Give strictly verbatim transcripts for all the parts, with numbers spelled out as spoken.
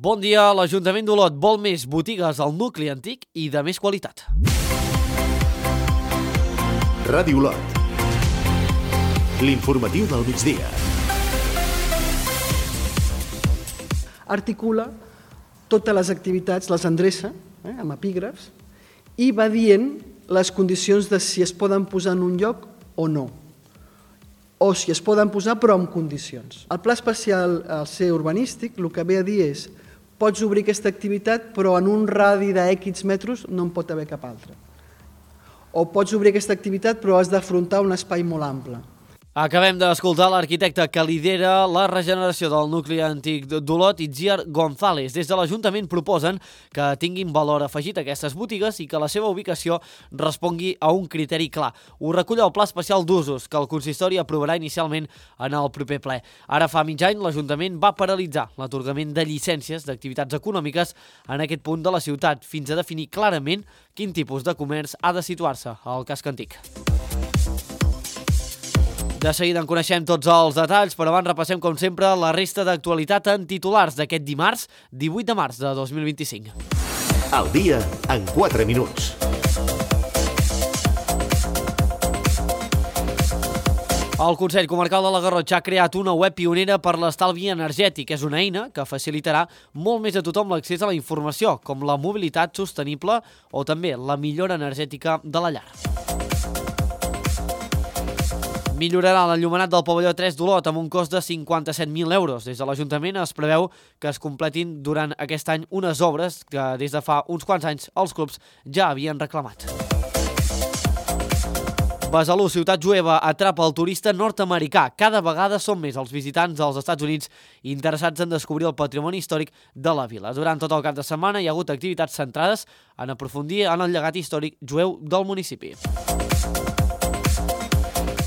Bon dia, l'Ajuntament d'Olot vol més botigues al nucli antic i de més qualitat. Ràdio Olot. L'informatiu del migdia. Articula totes les activitats, les endreça, eh, amb epígrafs, i va dient les condicions de si es poden posar en un lloc o no, o si es poden posar però amb condicions. El pla especial al ser urbanístic el que ve a dir és pots obrir aquesta activitat però en un radi de X metres no en pot haver cap altra. O pots obrir aquesta activitat però has d'afrontar un espai molt ample. Acabem d'escoltar l'arquitecte que lidera la regeneració del nucli antic d'Olot, Itziar González. Des de l'Ajuntament proposen que tinguin valor afegit aquestes botigues i que la seva ubicació respongui a un criteri clar. Ho recull el Pla Especial d'Usos, que el consistori aprovarà inicialment en el proper ple. Ara fa mig any, l'Ajuntament va paralitzar l'atorgament de llicències d'activitats econòmiques en aquest punt de la ciutat, fins a definir clarament quin tipus de comerç ha de situar-se al casc antic. De seguida en coneixem tots els detalls, però abans repassem, com sempre, la resta d'actualitat en titulars d'aquest dimarts, divuit de març de dos mil vint-i-cinc. El dia en quatre minuts. El Consell Comarcal de la Garrotxa ha creat una web pionera per l'estalvi energètic. És una eina que facilitarà molt més a tothom l'accés a la informació, com la mobilitat sostenible o també la millora energètica de la llar. Millorarà l'enllumenat del pavelló tres d'Olot amb un cost de cinquanta-set mil euros. Des de l'Ajuntament es preveu que es completin durant aquest any unes obres que des de fa uns quants anys els clubs ja havien reclamat. Besalú, ciutat jueva, atrapa el turista nord-americà. Cada vegada són més els visitants dels Estats Units interessats en descobrir el patrimoni històric de la vila. Durant tot el cap de setmana hi ha hagut activitats centrades en aprofundir en el llegat històric jueu del municipi.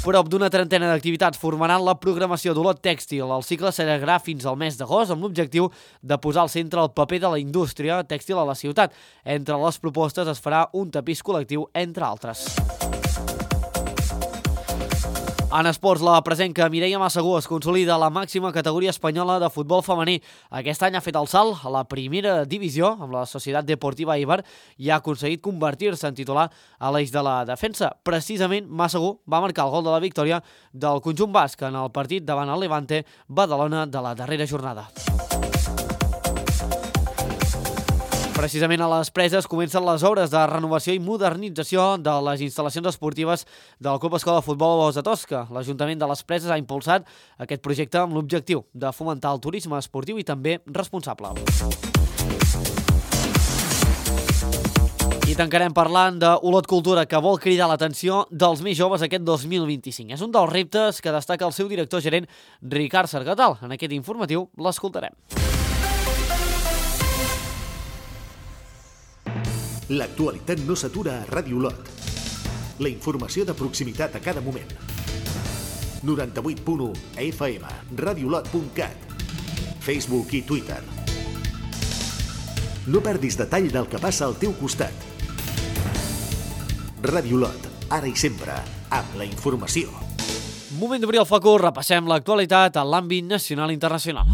Prop d'una trentena d'activitats formaran la programació d'Olot Tèxtil. El cicle s'allargarà fins al mes d'agost amb l'objectiu de posar al centre el paper de la indústria tèxtil a la ciutat. Entre les propostes es farà un tapís col·lectiu, entre altres. En esports, la presenca Mireia Massagú es consolida a la màxima categoria espanyola de futbol femení. Aquest any ha fet el salt a la primera divisió amb la Societat Deportiva Eibar i ha aconseguit convertir-se en titular a l'eix de la defensa. Precisament, Massagú va marcar el gol de la victòria del conjunt basc en el partit davant el Levante Badalona de la darrera jornada. Precisament a les Preses comencen les obres de renovació i modernització de les instal·lacions esportives del Club Escola de Futbol Bous de Tosca. L'Ajuntament de les Preses ha impulsat aquest projecte amb l'objectiu de fomentar el turisme esportiu i també responsable. I tancarem parlant d'Olot Cultura, que vol cridar l'atenció dels més joves aquest dos mil vint-i-cinc. És un dels reptes que destaca el seu director gerent, Ricard Sargatal. En aquest informatiu l'escoltarem. L'actualitat no s'atura a Ràdio Olot. La informació de proximitat a cada moment. noranta-vuit punt u F M, radiolot punt cat, Facebook i Twitter. No perdis detall del que passa al teu costat. Ràdio Olot, ara i sempre, amb la informació. Moment d'obrir el focus, repassem l'actualitat a l'àmbit nacional i internacional.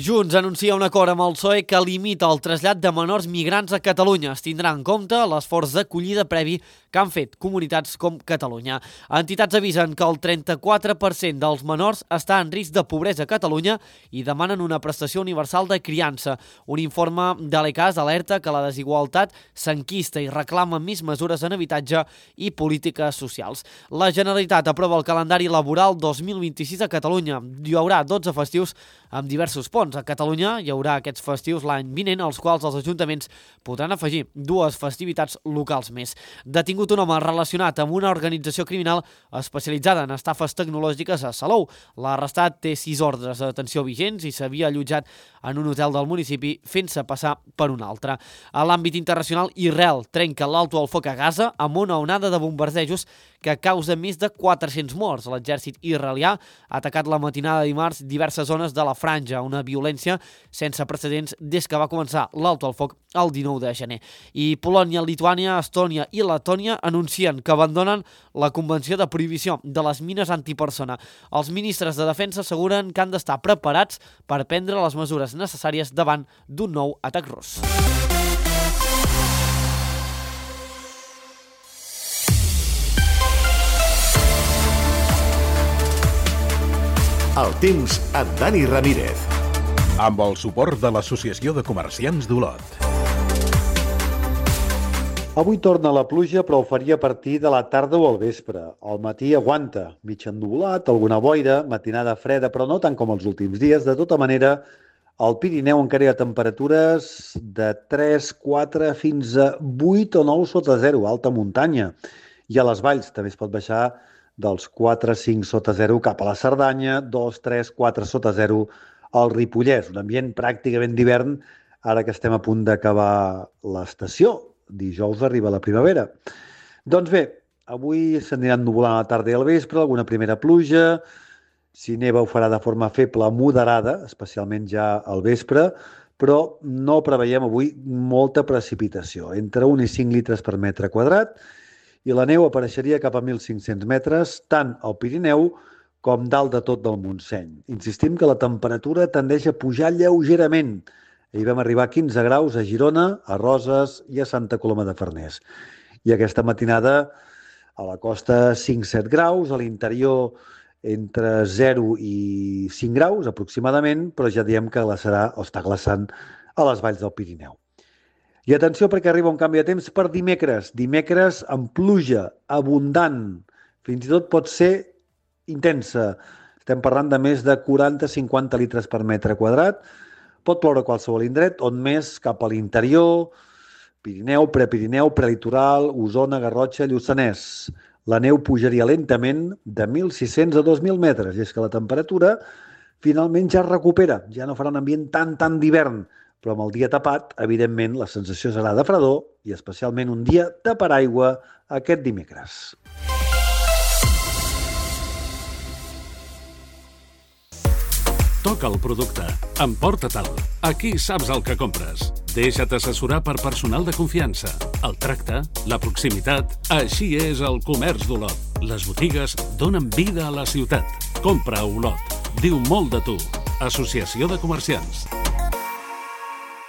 Junts anuncia un acord amb el P S O E que limita el trasllat de menors migrants a Catalunya. Es tindrà en compte l'esforç d'acollida previ que han fet comunitats com Catalunya. Entitats avisen que el trenta-quatre per cent dels menors està en risc de pobresa a Catalunya i demanen una prestació universal de criança. Un informe de l'E C A S alerta que la desigualtat s'enquista i reclama més mesures en habitatge i polítiques socials. La Generalitat aprova el calendari laboral dos mil vint-i-sis a Catalunya. Hi haurà dotze festius amb diversos ponts. A Catalunya hi haurà aquests festius l'any vinent, als quals els ajuntaments podran afegir dues festivitats locals més. Detingut un home relacionat amb una organització criminal especialitzada en estafes tecnològiques a Salou. L'arrestat té sis ordres de detenció vigents i s'havia allotjat en un hotel del municipi fent-se passar per un altre. A l'àmbit internacional, Israel trenca l'alto al foc a Gaza amb una onada de bombardejos que causa més de quatre-cents morts. L'exèrcit israelià ha atacat la matinada de dimarts diverses zones de la franja, una violència violència sense precedents des que va començar l'alto al foc el dinou de gener. I Polònia, Lituània, Estònia i Letònia anuncien que abandonen la Convenció de Prohibició de les Mines Antipersona. Els ministres de Defensa asseguren que han d'estar preparats per prendre les mesures necessàries davant d'un nou atac rus. El temps amb Dani Ramírez. Amb el suport de l'Associació de Comerciants d'Olot. Avui torna la pluja, però ho faria a partir de la tarda o al vespre. Al matí aguanta, mig ennuvolat, alguna boira, matinada freda, però no tant com els últims dies. De tota manera, al Pirineu encara hi ha temperatures de tres, quatre fins a vuit o nou sota zero, alta muntanya. I a les valls també es pot baixar dels quatre a cinc sota zero cap a la Cerdanya, dos, tres, quatre sota zero al Ripollès. Un ambient pràcticament d'hivern, ara que estem a punt d'acabar l'estació. Dijous arriba la primavera. Doncs bé, avui s'aniran nuvolant a la tarda i al vespre, alguna primera pluja. Si neva ho farà de forma feble moderada, especialment ja al vespre, però no preveiem avui molta precipitació, entre un i cinc litres per metre quadrat, i la neu apareixeria cap a mil cinc-cents metres, tant al Pirineu com dalt de tot del Montseny. Insistim que la temperatura tendeix a pujar lleugerament. Ahir vam arribar a quinze graus a Girona, a Roses i a Santa Coloma de Farners. I aquesta matinada a la costa cinc a set graus, a l'interior entre zero i cinc graus aproximadament, però ja diem que glaçarà o està glaçant a les valls del Pirineu. I atenció perquè arriba un canvi de temps per dimecres. Dimecres amb pluja abundant, fins i tot pot ser intensa. Estem parlant de més de quaranta a cinquanta litres per metre quadrat. Pot ploure a qualsevol indret, on més cap a l'interior, Pirineu, Prepirineu, Prelitoral, Osona, Garrotxa, Lluçanès. La neu pujaria lentament de mil sis-cents a dos mil metres, i és que la temperatura finalment ja es recupera. Ja no farà un ambient tan, tan d'hivern, però amb el dia tapat, evidentment, la sensació serà de fredor i especialment un dia de paraigua aquest dimecres. Toca el producte. Emporta-te'l. Aquí saps el que compres. Deixa't assessorar per personal de confiança. El tracte, la proximitat... Així és el comerç d'Olot. Les botigues donen vida a la ciutat. Compra a Olot. Diu molt de tu. Associació de Comerciants.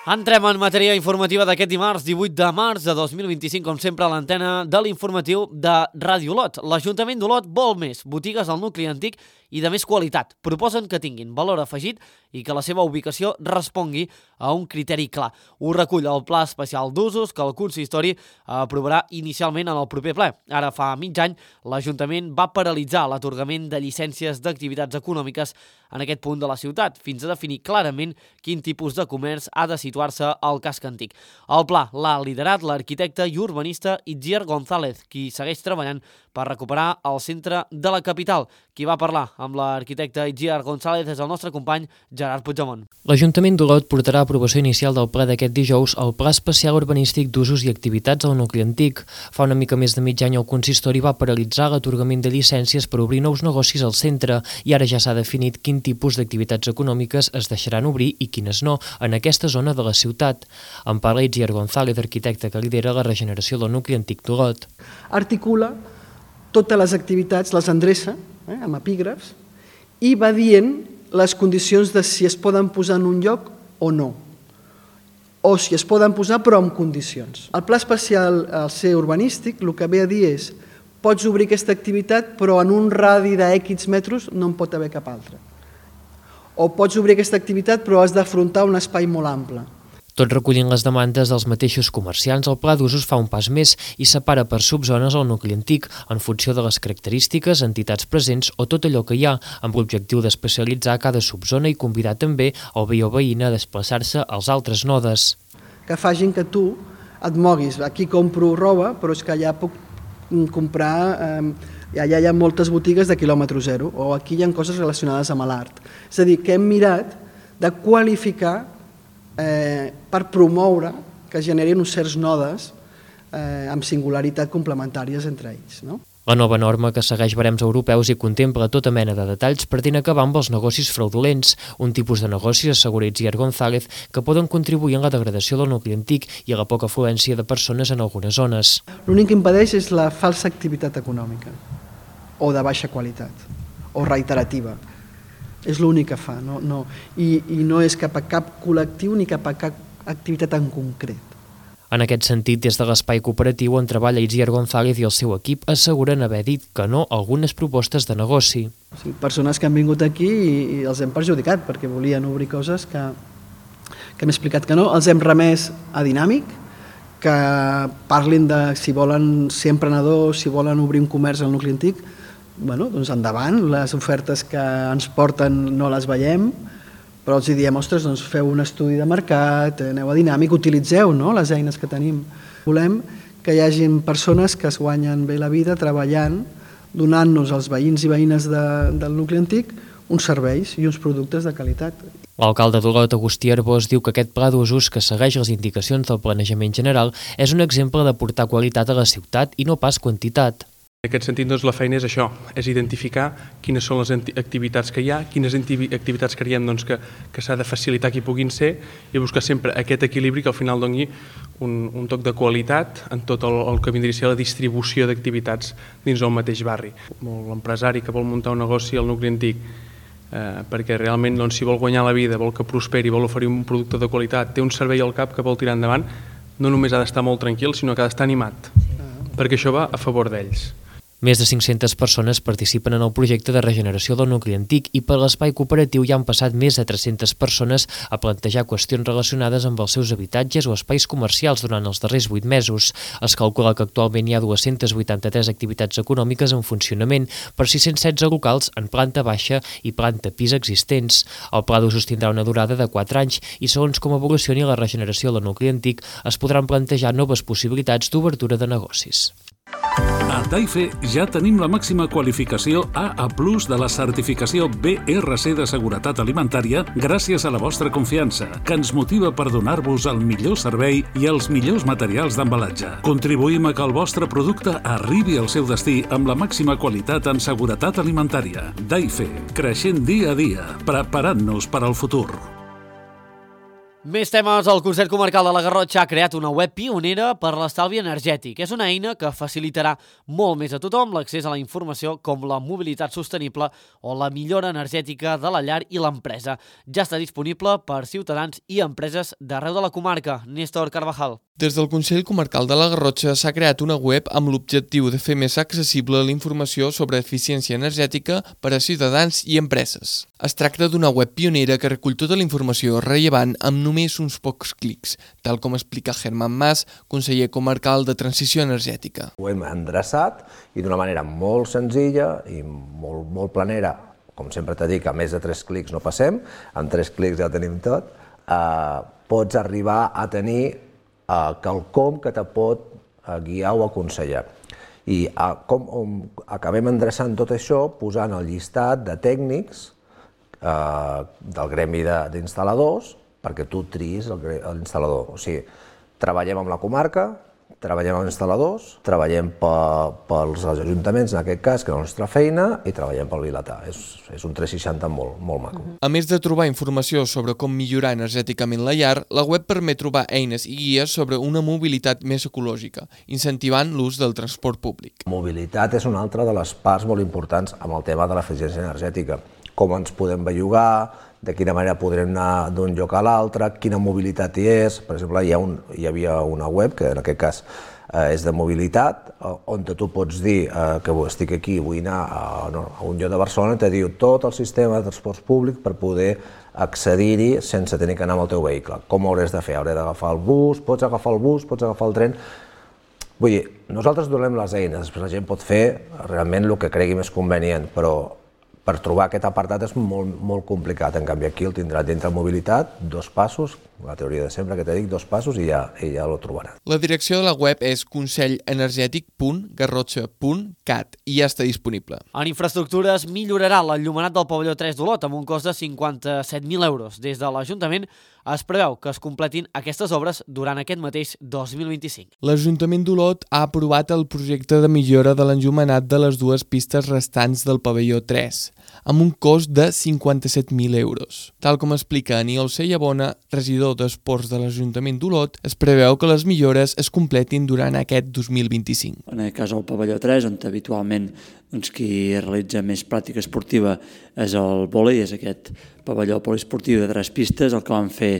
Entrem en matèria informativa d'aquest dimarts, divuit de març de dos mil vint-i-cinc, com sempre a l'antena de l'informatiu de Ràdio Olot. L'Ajuntament d'Olot vol més botigues al nucli antic i de més qualitat. Proposen que tinguin valor afegit i que la seva ubicació respongui a un criteri clar. Ho recull el Pla Especial d'Usos que el consistori aprovarà inicialment en el proper ple. Ara fa mig any, l'Ajuntament va paralitzar l'atorgament de llicències d'activitats econòmiques en aquest punt de la ciutat, fins a definir clarament quin tipus de comerç ha de situar-se al casc antic. El pla l'ha liderat l'arquitecte i urbanista Itziar González, qui segueix treballant per recuperar el centre de la capital. Qui va parlar amb l'arquitecte Itziar González és el nostre company Gerard Puigdemont. L'Ajuntament d'Olot portarà a aprovació inicial del ple d'aquest dijous el Pla Especial Urbanístic d'Usos i Activitats al nucli antic. Fa una mica més de mig any el consistori va paralitzar l'atorgament de llicències per obrir nous negocis al centre i ara ja s'ha definit quin tipus d'activitats econòmiques es deixaran obrir i quines no en aquesta zona de la ciutat. En parla Itziar González, arquitecte que lidera la regeneració del nucli antic d'Olot. Articula totes les activitats, les endreça, eh, amb epígrafs, i va dient les condicions de si es poden posar en un lloc o no, o si es poden posar però amb condicions. El pla especial al ser urbanístic el que ve a dir és pots obrir aquesta activitat però en un radi de X metres no en pot haver cap altra. O pots obrir aquesta activitat però has d'afrontar un espai molt ample. Tot recollint les demandes dels mateixos comerciants, el Pla d'Usos fa un pas més i separa per subzones el nucli antic en funció de les característiques, entitats presents o tot allò que hi ha, amb l'objectiu d'especialitzar cada subzona i convidar també el veí o veïna a desplaçar-se als altres nodes. Que facin que tu et moguis. Aquí compro roba, però és que allà puc comprar... Eh, allà hi ha moltes botigues de quilòmetre zero, o aquí hi ha coses relacionades amb l'art. És a dir, que hem mirat de qualificar Eh, per promoure que generin uns certs nodes eh, amb singularitat complementàries entre ells. No? La nova norma, que segueix barems europeus i contempla tota mena de detalls, pretén acabar amb els negocis fraudulents, un tipus de negocis, assegura Itziar González, que poden contribuir en la degradació del nucli antic i a la poca afluència de persones en algunes zones. L'únic que impedeix és la falsa activitat econòmica, o de baixa qualitat, o reiterativa. És l'únic que fa, no? No. I, i no és cap a cap col·lectiu ni cap a cap activitat en concret. En aquest sentit, des de l'espai cooperatiu on treballa Itziar González i el seu equip asseguren haver dit que no a algunes propostes de negoci. O sigui, persones que han vingut aquí i, i els hem perjudicat perquè volien obrir coses que, que hem explicat que no. Els hem remès a Dinàmic, que parlin de si volen ser emprenedors, si volen obrir un comerç al nucli antic, bueno, doncs endavant, les ofertes que ens porten no les veiem, però els diem, ostres, doncs feu un estudi de mercat, aneu a Dinàmic, utilitzeu no, les eines que tenim. Volem que hi hagin persones que es guanyen bé la vida treballant, donant-nos als veïns i veïnes de, del nucli antic uns serveis i uns productes de qualitat. L'alcalde d'Olot, Agustí Arbós, diu que aquest pla d'usos, que segueix les indicacions del planejament general, és un exemple de portar qualitat a la ciutat i no pas quantitat. En aquest sentit, doncs, la feina és això, és identificar quines són les activitats que hi ha, quines activitats creiem doncs, que, que s'ha de facilitar que hi puguin ser i buscar sempre aquest equilibri que al final doni un, un toc de qualitat en tot el, el que vindria a ser la distribució d'activitats dins del mateix barri. L'empresari que vol muntar un negoci al nucli antic eh, perquè realment doncs, si vol guanyar la vida, vol que prosperi, vol oferir un producte de qualitat, té un servei al cap que vol tirar endavant, no només ha d'estar molt tranquil, sinó que ha d'estar animat, perquè això va a favor d'ells. Més de cinc-centes persones participen en el projecte de regeneració del nucli antic i per l'espai cooperatiu hi han passat més de tres-centes persones a plantejar qüestions relacionades amb els seus habitatges o espais comercials durant els darrers vuit mesos. Es calcula que actualment hi ha dues-centes vuitanta-tres activitats econòmiques en funcionament per sis-cents setze locals en planta baixa i planta pis existents. El pla d'usos tindrà una durada de quatre anys i segons com evolucioni la regeneració del nucli antic es podran plantejar noves possibilitats d'obertura de negocis. A Taife ja tenim la màxima qualificació A A plus de la certificació B R C de seguretat alimentària gràcies a la vostra confiança, que ens motiva per donar-vos el millor servei i els millors materials d'embalatge. Contribuïm a que el vostre producte arribi al seu destí amb la màxima qualitat en seguretat alimentària. Taife, creixent dia a dia, preparant-nos per al futur. Més temes. El Consell Comarcal de la Garrotxa ha creat una web pionera per l'estalvi energètic. És una eina que facilitarà molt més a tothom l'accés a la informació com la mobilitat sostenible o la millora energètica de la llar i l'empresa. Ja està disponible per ciutadans i empreses d'arreu de la comarca. Néstor Carvajal. Des del Consell Comarcal de la Garrotxa s'ha creat una web amb l'objectiu de fer més accessible la informació sobre eficiència energètica per a ciutadans i empreses. Es tracta d'una web pionera que recull tota la informació rellevant amb només uns pocs clics, tal com explica Germán Mas, conseller comarcal de Transició Energètica. Ho hem endreçat i d'una manera molt senzilla i molt, molt planera, com sempre t'he dit que a més de tres clics no passem, amb tres clics ja ho tenim tot, eh, pots arribar a tenir eh, quelcom que te pot eh, guiar o aconsellar. I eh, com um, acabem endreçant tot això posant el llistat de tècnics eh, del gremi d'instal·ladors perquè tu triïs l'instal·lador. O sigui, treballem amb la comarca, treballem amb instal·ladors, treballem pels ajuntaments, en aquest cas, que és la nostra feina, i treballem pel Vilatà. És, és un tres seixanta molt, molt maco. A més de trobar informació sobre com millorar energèticament la llar, la web permet trobar eines i guies sobre una mobilitat més ecològica, incentivant l'ús del transport públic. Mobilitat és una altra de les parts molt importants amb el tema de l'eficiència energètica. Com ens podem bellugar, de quina manera podrem anar d'un lloc a l'altre, quina mobilitat hi és. Per exemple, hi, ha un, hi havia una web, que en aquest cas eh, és de mobilitat, on tu pots dir eh, que estic aquí, vull anar a, no, a un lloc de Barcelona, i te diu tot el sistema de transports públic per poder accedir-hi sense tenir que anar amb el teu vehicle. Com ho hauràs de fer? Hauré d'agafar el bus, pots agafar el bus, pots agafar el tren. Vull dir, nosaltres donem les eines, després la gent pot fer realment el que cregui més convenient, però per trobar aquest apartat és molt, molt complicat. En canvi, aquí el tindrà dintre mobilitat, dos passos, La teoria de sempre, que te dic, dos passos i ja, i ja lo trobaràs. La direcció de la web és consellenergètic punt garrotxa punt cat i ja està disponible. En infraestructures millorarà l'enllumenat del pavelló tres d'Olot amb un cost de cinquanta-set mil euros. Des de l'Ajuntament es preveu que es completin aquestes obres durant aquest mateix dos mil vint-i-cinc. L'Ajuntament d'Olot ha aprovat el projecte de millora de l'enllumenat de les dues pistes restants del pavelló tres, amb un cost de cinquanta-set mil euros. Tal com explica Aniol Sellabona, regidor d'Esports de l'Ajuntament d'Olot, es preveu que les millores es completin durant aquest dos mil vint-i-cinc. En aquest cas el pavelló tres, on habitualment doncs, qui realitza més pràctica esportiva és el vòlei, és aquest pavelló poliesportiu de tres pistes. El que vam fer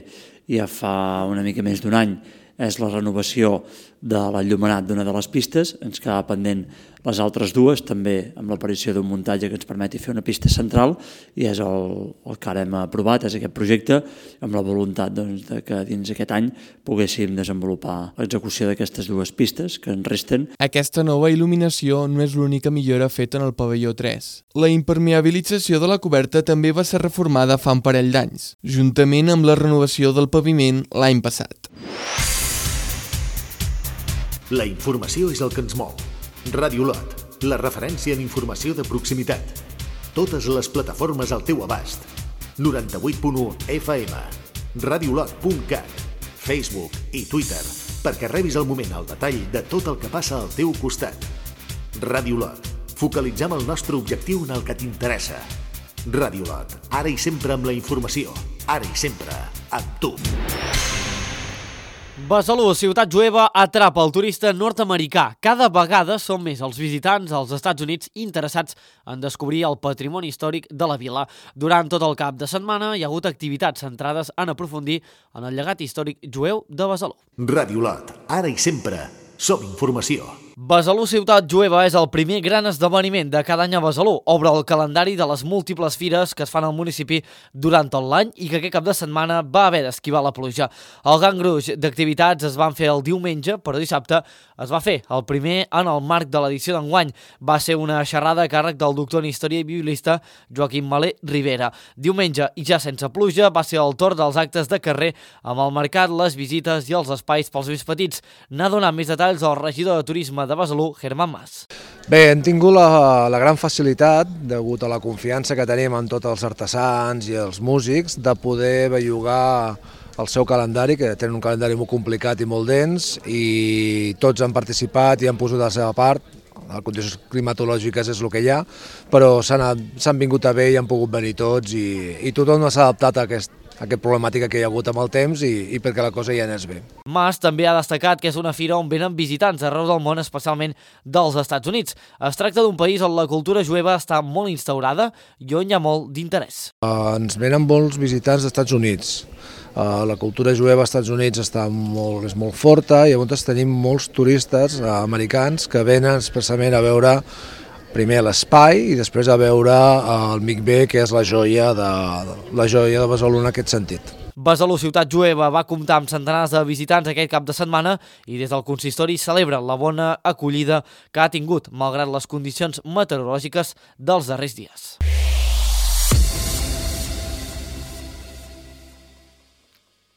ja fa una mica més d'un any és la renovació de l'enllumenat d'una de les pistes. Ens quedava pendent les altres dues, també amb l'aparició d'un muntatge que ens permeti fer una pista central, i és el, el que ara hem aprovat, és aquest projecte, amb la voluntat doncs, de que dins aquest any poguéssim desenvolupar l'execució d'aquestes dues pistes que ens resten. Aquesta nova il·luminació no és l'única millora feta en el pavelló tres. La impermeabilització de la coberta també va ser reformada fa un parell d'anys, juntament amb la renovació del paviment l'any passat. La informació és el que ens mou. Ràdio Olot, la referència en informació de proximitat. Totes les plataformes al teu abast. noranta-vuit punt u F M, radiolot punt cat, Facebook i Twitter, perquè rebis al moment el detall de tot el que passa al teu costat. Ràdio Olot, focalitzem el nostre objectiu en el que t'interessa. Ràdio Olot, ara i sempre amb la informació, ara i sempre amb tu. Besalú, ciutat jueva, atrapa el turista nord-americà. Cada vegada són més els visitants als Estats Units interessats en descobrir el patrimoni històric de la vila. Durant tot el cap de setmana hi ha hagut activitats centrades en aprofundir en el llegat històric jueu de Besalú. Ràdio Olot, ara i sempre, som informació. Besalú Ciutat Jueva és el primer gran esdeveniment de cada any a Besalú. Obre el calendari de les múltiples fires que es fan al municipi durant tot l'any i que aquest cap de setmana va haver d'esquivar la pluja. El gran gruix d'activitats es van fer el diumenge, però dissabte es va fer el primer en el marc de l'edició d'enguany. Va ser una xerrada a càrrec del doctor en història i biblista Joaquim Malé Rivera. Diumenge, i ja sense pluja, va ser el torn dels actes de carrer amb el mercat, les visites i els espais pels més petits. N'ha donat més detalls el regidor de Turisme de Besalú, Germán Mas. Bé, hem tingut la, la gran facilitat, degut a la confiança que tenim en tots els artesans i els músics, de poder bellugar el seu calendari, que tenen un calendari molt complicat i molt dens, i tots han participat i han posat la seva part. Les condicions climatològiques és el que hi ha, però s'han vingut a bé i han pogut venir tots, i, i tothom s'ha adaptat a aquest aquesta problemàtica que hi ha hagut amb el temps i, i perquè la cosa ja anés bé. Mas també ha destacat que és una fira on venen visitants arreu del món, especialment dels Estats Units. Es tracta d'un país on la cultura jueva està molt instaurada i on hi ha molt d'interès. Uh, ens venen molts visitants dels Estats Units. Uh, la cultura jueva als Estats Units està molt, és molt forta i llavors tenim molts turistes uh, americans que venen expressament a veure primer l'espai i després a veure el Mikvé, que és la joia de, la joia de Besalú en aquest sentit. Besalú Ciutat Jueva va comptar amb centenars de visitants aquest cap de setmana i des del consistori celebra la bona acollida que ha tingut, malgrat les condicions meteorològiques dels darrers dies.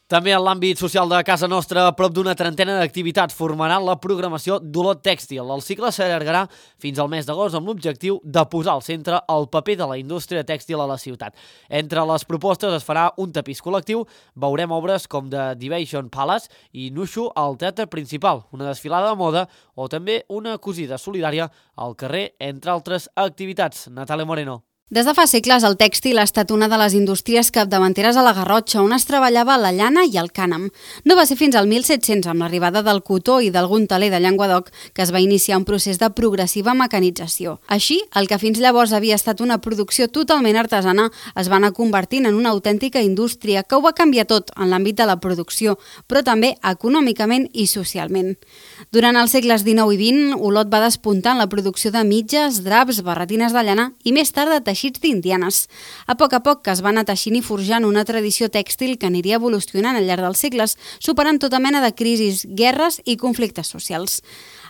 També en l'àmbit social de casa nostra, a prop d'una trentena d'activitats formaran la programació d'Olot Tèxtil. El cicle s'allargarà fins al mes d'agost amb l'objectiu de posar al centre el paper de la indústria tèxtil a la ciutat. Entre les propostes es farà un tapís col·lectiu, veurem obres com The Divation Palace i Nushu al teatre principal, una desfilada de moda o també una cosida solidària al carrer, entre altres activitats. Natàlia Moreno. Des de fa segles, el tèxtil ha estat una de les indústries capdavanteres a la Garrotxa, on es treballava la llana i el cànem. No va ser fins al mil set-cents, amb l'arribada del cotó i d'algun teler de Llenguadoc, que es va iniciar un procés de progressiva mecanització. Així, el que fins llavors havia estat una producció totalment artesana es va anar convertint en una autèntica indústria que ho va canviar tot en l'àmbit de la producció, però també econòmicament i socialment. Durant els segles dinou i vint, Olot va despuntar en la producció de mitges, draps, barretines de llana i més tard de teixits d'indianes. A poc a poc que es va anar teixint i forjant una tradició tèxtil que aniria evolucionant al llarg dels segles, superant tota mena de crisis, guerres i conflictes socials.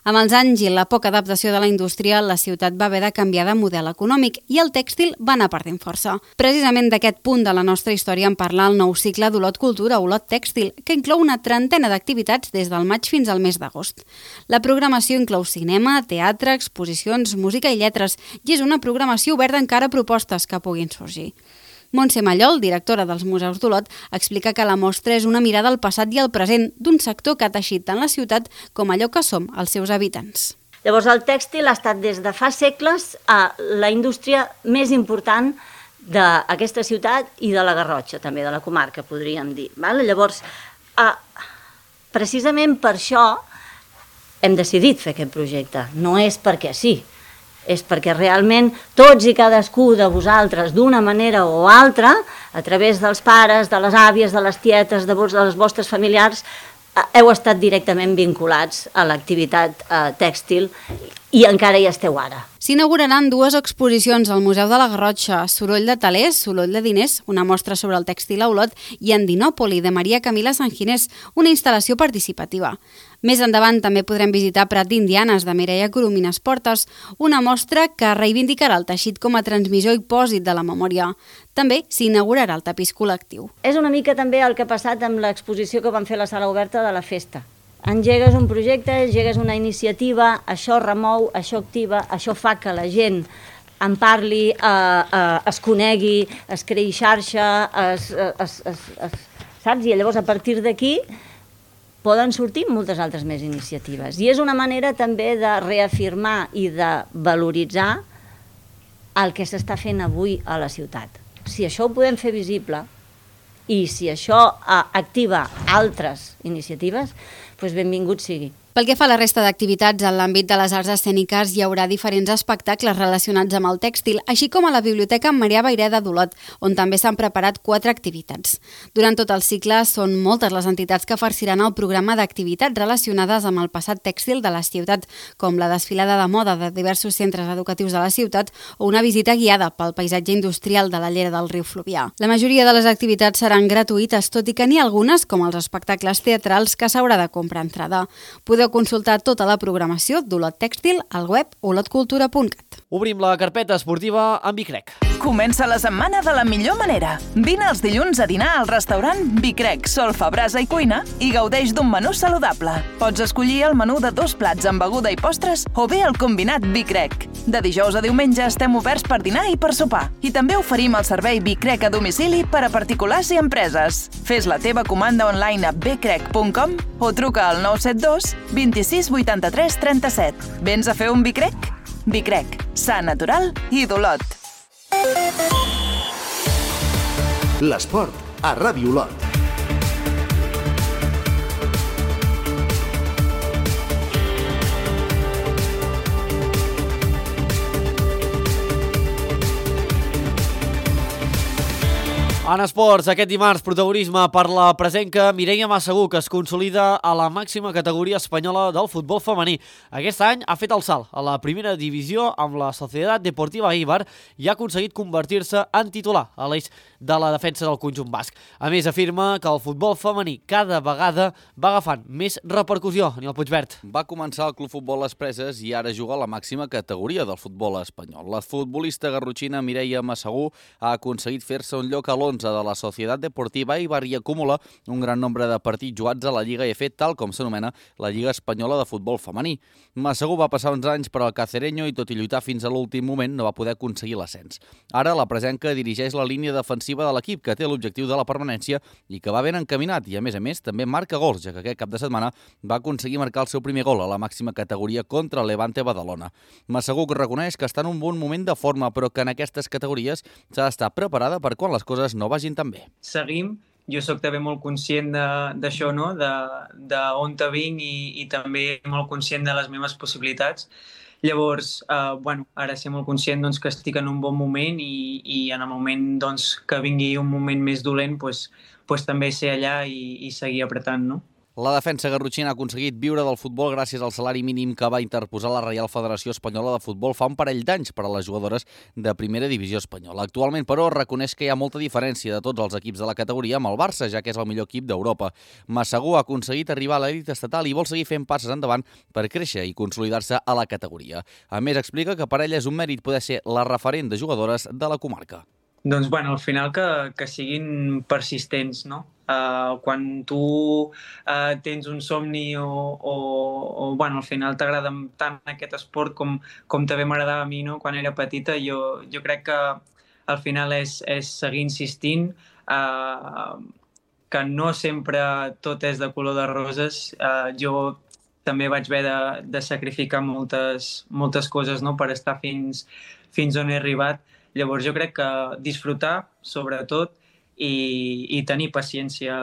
Amb els anys i la poca adaptació de la indústria, la ciutat va haver de canviar de model econòmic i el tèxtil va anar perdent força. Precisament d'aquest punt de la nostra història en parla el nou cicle d'Olot Cultura, Olot Tèxtil, que inclou una trentena d'activitats des del maig fins al mes d'agost. La programació inclou cinema, teatre, exposicions, música i lletres, i és una programació oberta encara a propostes que puguin sorgir. Montse Mallol, directora dels Museus d'Olot, explica que la mostra és una mirada al passat i al present d'un sector que ha teixit tant la ciutat com allò que som els seus habitants. Llavors, el tèxtil ha estat des de fa segles a la indústria més important d'aquesta ciutat i de la Garrotxa, també de la comarca, podríem dir. Llavors, precisament per això hem decidit fer aquest projecte. No és perquè sí, és perquè realment tots i cadascú de vosaltres, d'una manera o altra, a través dels pares, de les àvies, de les tietes, de les vostres familiars, heu estat directament vinculats a l'activitat tèxtil i encara hi esteu ara. S'inauguraran dues exposicions al Museu de la Garrotxa, Soroll de Talers, Soroll de Diners, una mostra sobre el tèxtil a Olot, i Andinòpoli, de Maria Camila Sanginés, una instal·lació participativa. Més endavant també podrem visitar Prat d'Indianes, de Mireia Coromines Portes, una mostra que reivindicarà el teixit com a transmissor i pòsit de la memòria. També s'inaugurarà el tapís col·lectiu. És una mica també el que ha passat amb l'exposició que van fer a la sala oberta de la festa. Engegues un projecte, engegues una iniciativa, això remou, això activa, això fa que la gent en parli, eh, eh, es conegui, es creï xarxa, es, es, es, es, saps? I llavors a partir d'aquí poden sortir moltes altres més iniciatives. I és una manera també de reafirmar i de valoritzar el que s'està fent avui a la ciutat. Si això ho podem fer visible i si això eh, activa altres iniciatives, doncs benvingut sigui. Pel que fa a la resta d'activitats, en l'àmbit de les arts escèniques hi haurà diferents espectacles relacionats amb el tèxtil, així com a la Biblioteca Marià Vayreda d'Olot, on també s'han preparat quatre activitats. Durant tot el cicle són moltes les entitats que farciran el programa d'activitats relacionades amb el passat tèxtil de la ciutat, com la desfilada de moda de diversos centres educatius de la ciutat o una visita guiada pel paisatge industrial de la llera del riu Fluvià. La majoria de les activitats seran gratuïtes, tot i que n'hi ha algunes, com els espectacles teatrals, que s'haurà de comprar entrada. Podeu consultar tota la programació d'Olot Tèxtil al web olot cultura punt cat. Obrim la carpeta esportiva amb Bicrec. Comença la setmana de la millor manera. Vine els dilluns a dinar al restaurant Bicrec, Solfa, Brasa i Cuina i gaudeix d'un menú saludable. Pots escollir el menú de dos plats amb beguda i postres o bé el combinat Bicrec. De dijous a diumenge estem oberts per dinar i per sopar. I també oferim el servei Bicrec a domicili per a particulars i empreses. Fes la teva comanda online a bcrec punt com o truca al nou set dos vint-i-sis vuitanta-tres trenta-set. Vens a fer un Bicrec? Bicrec, sa, natural i d'Olot. L'esport a Ràdio Olot. En esports, aquest dimarts, protagonisme per la presenca Mireia Massagú, que es consolida a la màxima categoria espanyola del futbol femení. Aquest any ha fet el salt a la primera divisió amb la Societat Deportiva Eibar i ha aconseguit convertir-se en titular a l'eix de la defensa del conjunt basc. A més, afirma que el futbol femení cada vegada va agafant més repercussió. Aniol Puigvert. Va començar al Club Futbol Les Preses i ara juga a la màxima categoria del futbol espanyol. La futbolista garrotxina Mireia Massagú ha aconseguit fer-se un lloc a l'onze de la Societat Deportiva Eibar i acumula un gran nombre de partits jugats a la Lliga E F, tal com s'anomena la Lliga Espanyola de Futbol Femení. Massagú va passar uns anys per al Cacereño i tot i lluitar fins a l'últim moment no va poder aconseguir l'ascens. Ara la presenca dirigeix la línia defensiva de l'equip, que té l'objectiu de la permanència i que va ben encaminat i a més a més també marca gols, ja que aquest cap de setmana va aconseguir marcar el seu primer gol a la màxima categoria contra el Levante Badalona. Massagú reconeix que està en un bon moment de forma, però que en aquestes categories s'ha d'estar preparada per quan les coses no vagin tan bé. Seguim, jo sóc també molt conscient d'això, no? de, de on te vinc i, i també molt conscient de les meves possibilitats. Llavors, eh, bueno, ara ser molt conscient doncs, que estic en un bon moment i, i en el moment doncs, que vingui un moment més dolent, doncs, doncs també ser allà i, i seguir apretant, no? La defensa garrotxina ha aconseguit viure del futbol gràcies al salari mínim que va interposar la Reial Federació Espanyola de Futbol fa un parell d'anys per a les jugadores de primera divisió espanyola. Actualment, però, reconeix que hi ha molta diferència de tots els equips de la categoria amb el Barça, ja que és el millor equip d'Europa. Massagó ha aconseguit arribar a l'elit estatal i vol seguir fent passes endavant per créixer i consolidar-se a la categoria. A més, explica que per ella és un mèrit poder ser la referent de jugadores de la comarca. Doncs, bueno, al final que, que siguin persistents, no? Uh, quan tu uh, tens un somni o, o, o bueno, al final t'agrada tant aquest esport com, com també m'agradava a mi, no? Quan era petita, jo, jo crec que al final és, és seguir insistint, uh, que no sempre tot és de color de roses. Uh, jo també vaig haver de, de sacrificar moltes, moltes coses, no? Per estar fins, fins on he arribat. Llavors jo crec que disfrutar, sobretot, i, i tenir paciència.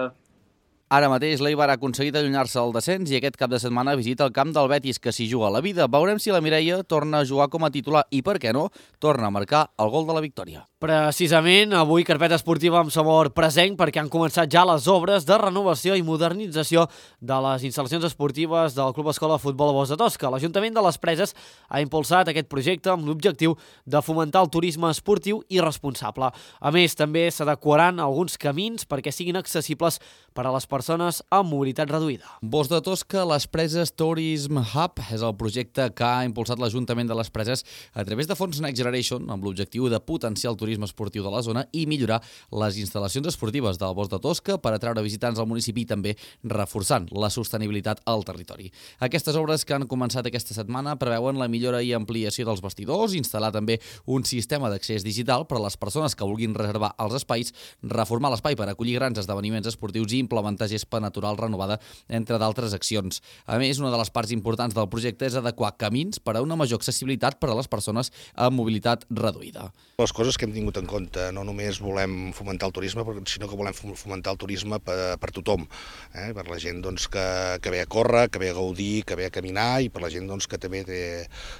Ara mateix l'Eibar ha aconseguit allunyar-se del descens i aquest cap de setmana visita el camp del Betis, que s'hi juga la vida. Veurem si la Mireia torna a jugar com a titular i, per què no, torna a marcar el gol de la victòria. Precisament, avui carpeta esportiva amb sabor presenc perquè han començat ja les obres de renovació i modernització de les instal·lacions esportives del Club Escola de Futbol Bosc de Tosca. L'Ajuntament de les Preses ha impulsat aquest projecte amb l'objectiu de fomentar el turisme esportiu i responsable. A més, també s'adequaran alguns camins perquè siguin accessibles per a les persones amb mobilitat reduïda. Bosc de Tosca, les Preses Tourism Hub és el projecte que ha impulsat l'Ajuntament de les Preses a través de fons Next Generation amb l'objectiu de potenciar el turisme esportiu de la zona i millorar les instal·lacions esportives del Bosc de Tosca per atraure visitants al municipi i també reforçant la sostenibilitat al territori. Aquestes obres que han començat aquesta setmana preveuen la millora i ampliació dels vestidors, instal·lar també un sistema d'accés digital per a les persones que vulguin reservar els espais, reformar l'espai per acollir grans esdeveniments esportius i implementar gespa natural renovada, entre d'altres accions. A més, una de les parts importants del projecte és adequar camins per a una major accessibilitat per a les persones amb mobilitat reduïda. Les coses que hem tingut en compte, no només volem fomentar el turisme, sinó que volem fomentar el turisme per, per tothom, eh? Per la gent doncs, que, que ve a córrer, que ve a gaudir, que ve a caminar i per la gent doncs, que també té,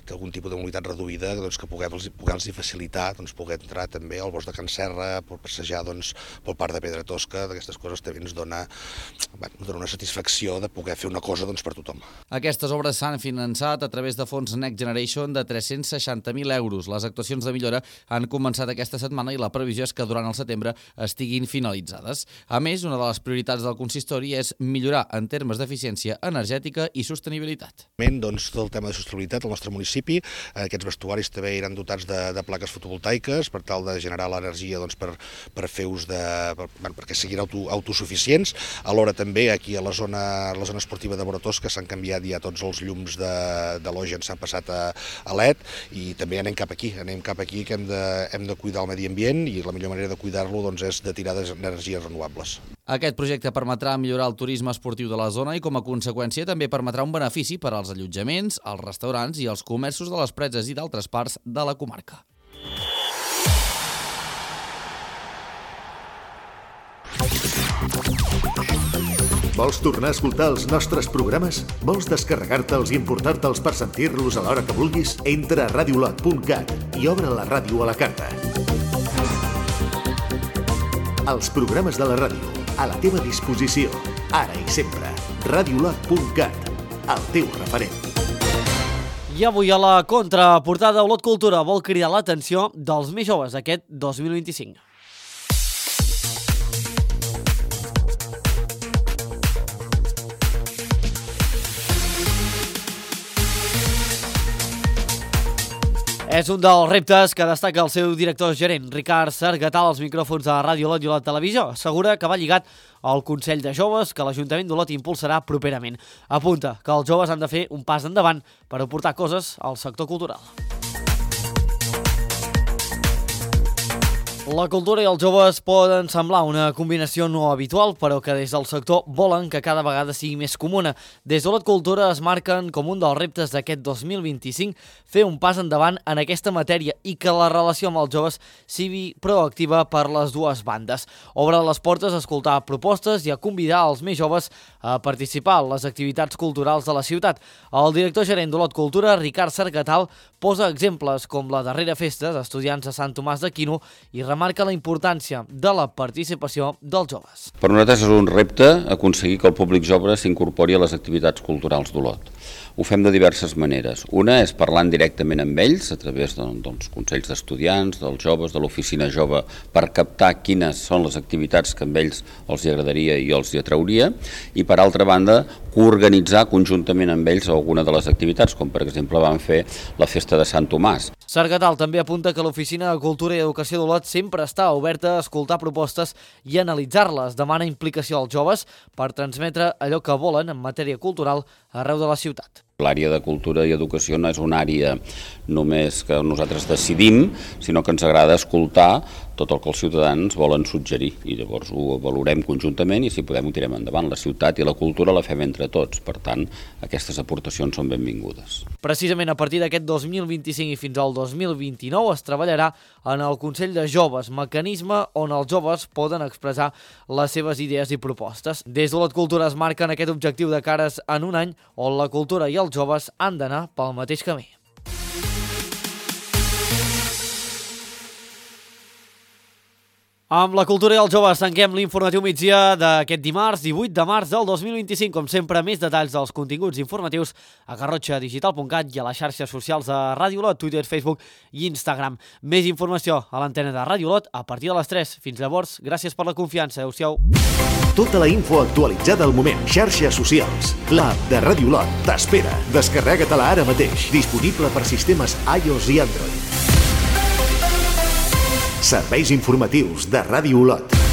té algun tipus de mobilitat reduïda, doncs, que puguem-los puguem facilitar doncs, poder entrar també al Bosc de Can Serra, per passejar doncs, pel Parc de Pedra Tosca. D'aquestes coses també ens dona, bueno, dona una satisfacció de poder fer una cosa doncs, per tothom. Aquestes obres s'han finançat a través de fons Next Generation de tres-cents seixanta mil euros. Les actuacions de millora han començat aquesta setmana i la previsió és que durant el setembre estiguin finalitzades. A més, una de les prioritats del consistori és millorar en termes d'eficiència energètica i sostenibilitat. Doncs, tot el tema de sostenibilitat al nostre municipi, aquests vestuaris també iran dotats de, de plaques fotovoltaiques per tal de generar l'energia doncs, per, per fer ús de... Per, bueno, perquè siguin auto, autosuficients. Alhora també aquí a la zona, a la zona esportiva de Bosc de Tosca s'han canviat ja tots els llums de, de l'Ogen, s'han passat a, a L E D i també anem cap aquí, anem cap aquí que hem de, hem de cuidar el medi ambient i la millor manera de cuidar-lo doncs, és de tirar d'energies renovables. Aquest projecte permetrà millorar el turisme esportiu de la zona i com a conseqüència també permetrà un benefici per als allotjaments, als restaurants i als comerços de les Preses i d'altres parts de la comarca. Vols tornar a escoltar els nostres programes? Vols descarregar-te'ls i importar-te'ls per sentir-los a l'hora que vulguis? Entra a radiolot punt cat i obre la ràdio a la carta. Els programes de la ràdio, a la teva disposició, ara i sempre. radiolot punt cat, el teu referent. I avui a la contraportada, Olot Cultura vol cridar l'atenció dels més joves aquest dos mil vint-i-cinc. És un dels reptes que destaca el seu director gerent, Ricard Sargatal, als micròfons de Ràdio Olot i Olot Televisió. Assegura que va lligat al Consell de Joves que l'Ajuntament d'Olot impulsarà properament. Apunta que els joves han de fer un pas endavant per aportar coses al sector cultural. La cultura i els joves poden semblar una combinació no habitual, però que des del sector volen que cada vegada sigui més comuna. Des d'Olot Cultura es marquen com un dels reptes d'aquest dos mil vint-i-cinc fer un pas endavant en aquesta matèria i que la relació amb els joves sigui proactiva per les dues bandes. Obre les portes a escoltar propostes i a convidar els més joves a participar en les activitats culturals de la ciutat. El director gerent d'Olot Cultura, Ricard Sargatal, posa exemples com la darrera festa d'estudiants de Sant Tomàs d'Aquino i remarca la importància de la participació dels joves. Per nosaltres és un repte aconseguir que el públic jove s'incorpori a les activitats culturals d'Olot. Ho fem de diverses maneres. Una és parlant directament amb ells a través de, dels consells d'estudiants, dels joves, de l'oficina jove, per captar quines són les activitats que amb ells els agradaria i els hi atrauria, i per altra banda coorganitzar conjuntament amb ells alguna de les activitats, com per exemple van fer la festa de Sant Tomàs. Sargatal també apunta que l'Oficina de Cultura i Educació d'Olot sempre està oberta a escoltar propostes i analitzar-les. Demana implicació als joves per transmetre allò que volen en matèria cultural arreu de la ciutat. L'àrea de cultura i educació no és una àrea només que nosaltres decidim, sinó que ens agrada escoltar tot el que els ciutadans volen suggerir i llavors ho valorem conjuntament i si podem ho tirem endavant. La ciutat i la cultura la fem entre tots, per tant aquestes aportacions són benvingudes. Precisament a partir d'aquest dos mil vint-i-cinc i fins al dos mil vint-i-nou es treballarà en el Consell de Joves, mecanisme on els joves poden expressar les seves idees i propostes. Des d'Olot Cultura es marquen aquest objectiu de cares en un any on la cultura i els joves han d'anar pel mateix camí. Amb la cultura i els joves tanquem l'informatiu migdia d'aquest dimarts, divuit de març del dos mil vint-i-cinc. Com sempre, més detalls dels continguts informatius a garrotxa digital punt cat i a les xarxes socials de Ràdio Olot, Twitter, Facebook i Instagram. Més informació a l'antena de Ràdio Olot a partir de les tres. Fins llavors, gràcies per la confiança. Adéu-siau. Tota la info actualitzada al moment. Xarxes socials. L'app de Ràdio Olot t'espera. Descarrega-te-la ara mateix. Disponible per sistemes iOS i Android. Serveis informatius de Ràdio Olot.